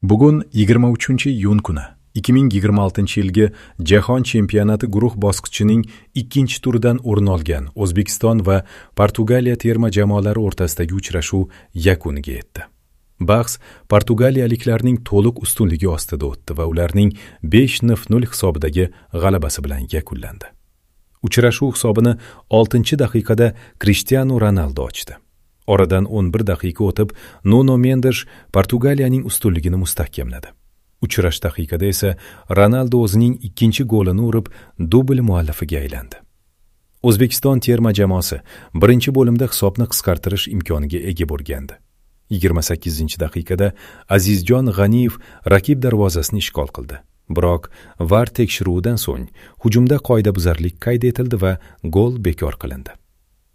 Bugun 23-iyun kuni 2026-yilgi Jahon chempionati guruh bosqichining ikkinchi turidan o'rin olgan O'zbekiston va Portugaliya terma jamoalari o'rtasidagi uchrashuv yakuniga yetdi. Bahs portugaliyaliklarning to'liq ustunligi ostida o'tdi va ularning 5-0 hisobidagi g'alabasi bilan yakunlandi. Uchrashuv hisobini 6-daqiqada Krishtianu Ronaldu ochdi. Oradan 11 daqiqa o'tib, Nuno Mendes Portugaliyaning ustunligini mustahkamladi. Uchrash daqiqada esa Ronaldu o'zining ikkinchi golini urib, dubl muallifiga aylandi. O'zbekiston terma jamoasi birinchi bo'limda hisobni qisqartirish imkoniga ega bo'lgandi. 28-daqiqada Azizjon G'aniyev raqib darvozasini ishg'ol qildi. Biroq VAR tekshiruvidan so'ng hujumda qoidabuzarlik qayd etildi va gol bekor qilindi.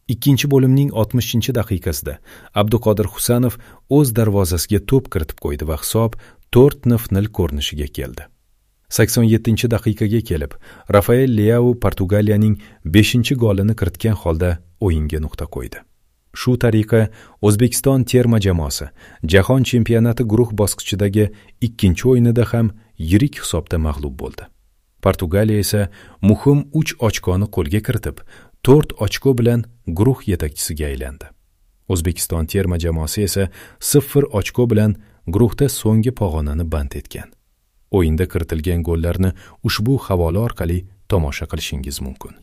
Ikkinchi bo'limning 60-daqiqasida Abduqodir Husanov o'z darvozasiga to'p kiritib qo'ydi va hisob 4-0 ko'rinishiga keldi. 87-daqiqaga kelib, Rafael Leao Portugaliyaning 5-golini kiritgan holda o'yinga nuqta qo'ydi. Shu tariqa O'zbekiston terma jamoasi Jahon chempionati guruh bosqichidagi ikkinchi o'yinida ham yirik hisobda mag'lub bo'ldi. Portugaliya esa muhim 3 ochkoni qo'lga kiritib, 4 ochko bilan guruh yetakchisiga aylandi. O'zbekiston terma jamoasi esa 0 ochko bilan guruhda so'nggi pog'onani band etgan. O'yinda kiritilgan gollarni ushbu havola orqali tomosha qilishingiz mumkin.